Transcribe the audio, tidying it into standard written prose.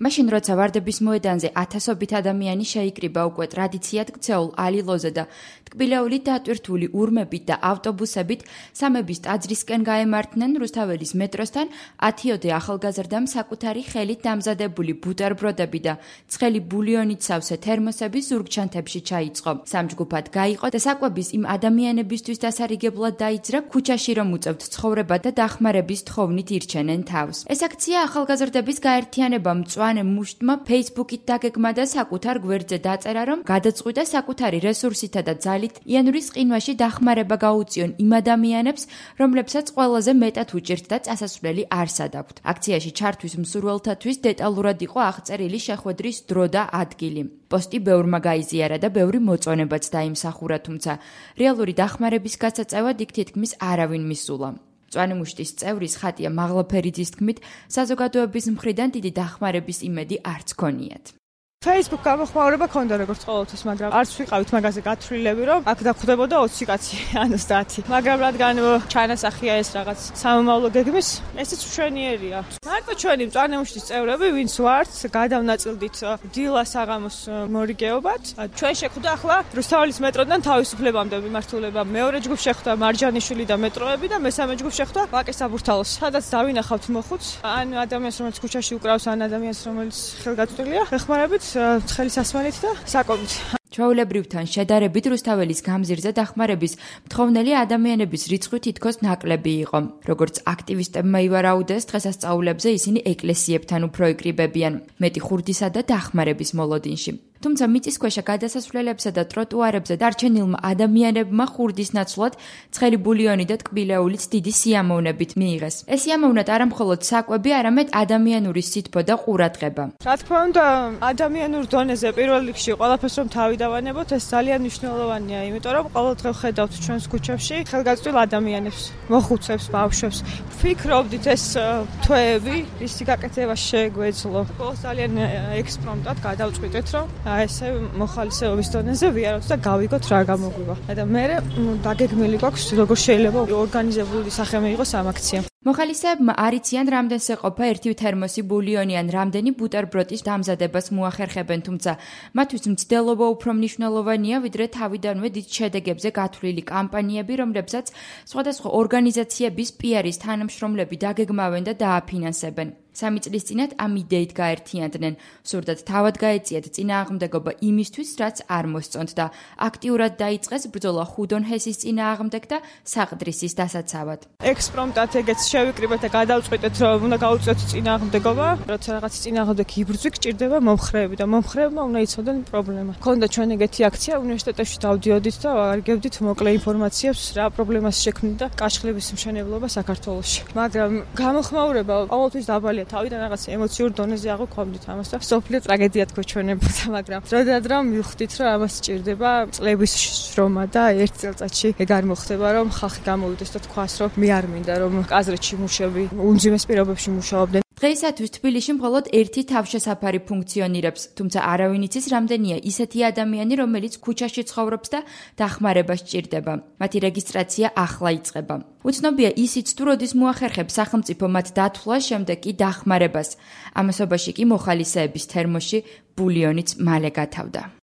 მაშინ როცა ვარდების მოედანზე ათასობით ადამიანი შეიკრიბა უკვე ტრადიციად ქცეულ ალილოზე და ტკბილეულით დატვირთული ურმებით და ავტობუსებით სამების ტაძრისკენ გაემართნენ რუსთაველის მეტროსთან 10-ოდე ახალგაზრდამ საკუთარი ხელით დამზადებული ბუტერბროდები და ცხელი ბულიონით სავსე თერმოსები ზურგჩანთებში ჩაიწყო. სამჯგუფად გაიყო და საკვების იმ ადამიანებისთვის დასარიგებლად დაიძრა ქუჩაში რომ უწევთ ცხოვრება და დახმარების თხოვნით ირჩენენ თავს. ეს აქცია ახალგაზრდების გაერთიანებამ მწვანე მუშტმა Facebook-ით დაგეგმა და საკუთარ გვერდზე დაწერა, რომ გადაწყვიტა საკუთარი რესურსითა და ძალით იანურის ყინვაში დახმარება გაუწიონ იმ ადამიანებს, რომლებსაც ყველაზე მეტად უჭირთ და წასასვლელი არ სადაგვთ. აქციაში ჩართვის მსურველთათვის დეტალურად იყო აღწერილი შეხვედრის დრო და ადგილი. პოსტი ბევრმა გაიზიარა და ბევრი მოწონებაც დაიმსახურა, თუმცა რეალური დახმარების გასაწევად იქ თითქმის არავინ მისულა. მწვანე მუშტის წევრის ხატია მაღლაფერიძის თქმით, საზოგადოების მხრიდან დიდი დახმარების იმედი არც ქონიათ. Facebook გამოხმაურება ქონდა როგორც ყოველთვის, მაგრამ არც ვიყავით მაგაზე გათვლილები, რომ აქ დახვდებოდა 20 კაცი, ან 30. მაგრამ რადგან ჩანასახია ეს რაღაც სამომავლო გეგმის, ესეც მშვენიერია. მარტო ჩვენი მწვანე მუშტის წევრები, ვინც ვართ, გადავნაწილდით დილა საღამოს მორიგეობად. ჩვენ შეხვდა ახლა რუსთაველის მეტროდან თავისუფლებამდე მიმართულება. მეორე ჯგუფ შეხვდა მარჯანიშვილი და მეტროები და მესამე ჯგუფ შეხვდა ვაკე საბურთალოს. სადაც დავინახავთ მოხუც, ან ადამიანს, რომელიც ქუჩაში უკრავს, ან ადამიანს, რომელიც ხელგაწვრილია, ეხმარებით ცხელი სასმელით და საკვებით. ჩვეულებრივთან შედარებით რუსთაველის გამზირზე დახმარების მთხოვნელი ადამიანების რიცხვი თითქოს ნაკლები იყო. როგორც აქტივისტებმა ივარაუდეს, დღესასწაულებზე ისინი ეკლესიებთან უფრო იკრიბებიან, მეტი ხურდისა და დახმარების მოლოდინში. თუმცა მიწისქვეშა გადასასვლელებსა და ტროტუარებზე დარჩენილმა ადამიანებმა ხურდის ნაცვლად ცხელი ბულიონი და ტკბილეულით დიდი სიამოვნებით მიიღეს. ეს სიამოვნად არა მხოლოდ საკვები, არამედ ადამიანური სითბო და ყურადღება. რა თქმა უნდა, ადამიანურ დონეზე პირველ რიგში ყველაფერს რომ თავი დავანებოთ, ეს ძალიან მნიშვნელოვანია, იმიტომ რომ ყოველდღე ვხედავთ ჩვენს ქუჩებში ხელგაწვრილ ადამიანებს, მოხუცებს, ბავშვებს. ვფიქრობდით ეს თვეები, ისი გაკეთება შეგვეძლო. ყოველს ძალიან ექსპრომტად გადავწყვიტეთ, რომ ესე მოხალისეობის დონეზე ვიაროთ და გავიგოთ რა გამოგვივა. და მე დაგეგმილი გვაქვს როგორ შეიძლება ორგანიზებული სახე მიიღოს ამ აქციამ. მოხალისეებმა არიციან რამდენს ეყოფა ერთი თერმოსი ბულიონი ან რამდენი ბუტერბროდის დამზადებას მოახერხებენ, თუმცა მათთვის მცდელობა უფრო მნიშვნელოვანია, ვიდრე თავიდანვე დიდ შედეგებზე გათვლილი კამპანიები, რომლებსაც სხვადასხვა ორგანიზაციების PR-ის თანამშრომლები დაგეგმავენ და დააფინანსებენ. 3 წლის წინათ ამ იდეით გაერთიანდნენ, სურდათ თავად გაეწიათ წინააღმდეგობა იმისთვის, რაც არ მოსწონთ და აქტიურად დაიწყეს ბრძოლა ხუდონ ჰესის წინააღმდეგ და საყდრისის დასაცავად. ექსპრომტად ეგეც შევიკრიბეთ და გადავწყვიტეთ, რომ უნდა გავუწიოთ წინააღმდეგობა, როცა რაღაც წინააღმდეგ იბრძვი გჭირდება მომხრეები და მომხრეებმა უნდა იცოდნენ პრობლემა. ქონდა ჩვენ ეგეთი აქცია უნივერსიტეტებში დავდიოდით და ვარგებდით მოკლე ინფორმაციებს, რა პრობლემას შექმნით და კაშხლების მშენებლობა საქართველოში. მაგრამ გამოხმაურება ყოველთვის დაბალია. თავიდან რაღაც ემოციურ დონეზე აღვქვამდით ამას და სოფლიო ტრაგედიად გვეჩვენებოდა, მაგრამ დროდადრო მივხვდით, რომ ამას სჭირდება წლების შრომა და ერთ წელწადში ეგ არ მოხდება, რომ ხალხი გამოვიდეს და თქვას, რომ მე არ მინდა, რომ კაზრეთში მუშები უმძიმეს პირობებში მუშაობდნენ. დღეისათვის თბილისში მხოლოდ ერთი თავშესაფარი ფუნქციონირებს, თუმცა არავინ იცის რამდენია ისეთი ადამიანი, რომელიც ქუჩაში ცხოვრობს და დახმარებას სჭირდება. მათი რეგისტრაცია ახლა იწყება. უცნობია ისიც თუ როდის მოახერხებს სახელმწიფო მათ დათვლას, შემდეგ კი დახმარებას. ამასობაში კი მოხალისეების თერმოში ბულიონიც მალე გათავდა.